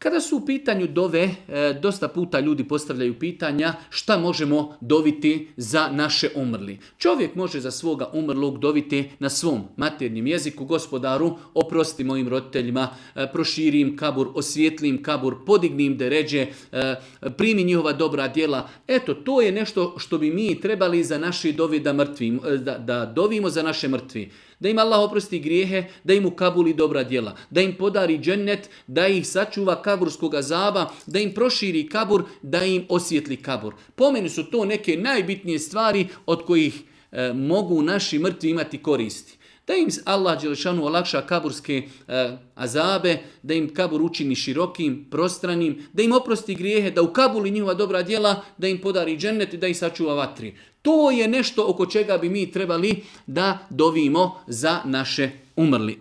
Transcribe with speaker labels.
Speaker 1: Kada su u pitanju dove, dosta puta ljudi postavljaju pitanja šta možemo doviti za naše umrli. Čovjek može za svoga umrlog doviti na svom maternjem jeziku: Gospodaru, oprosti mojim roditeljima, proširi im kabur, osvijetli im kabur, podigni im deređe, primi njihova dobra djela. Eto, to je nešto što bi mi trebali za naše dovi da dovimo za naše mrtvi. Da im Allah oprosti grijehe, da im ukabuli dobra djela, da im podari džennet, da ih sačuva kaburskog azaba, da im proširi kabur, da im osvijetli kabur. Po meni su to neke najbitnije stvari od kojih mogu naši mrtvi imati koristi. Da im Allah dželešanu olakša kaburske azabe, da im kabur učini širokim, prostranim, da im oprosti grijehe, da ukabuli njihova dobra djela, da im podari džennet i da ih sačuva vatri. To je nešto oko čega bi mi trebali da dovimo za naše umrli.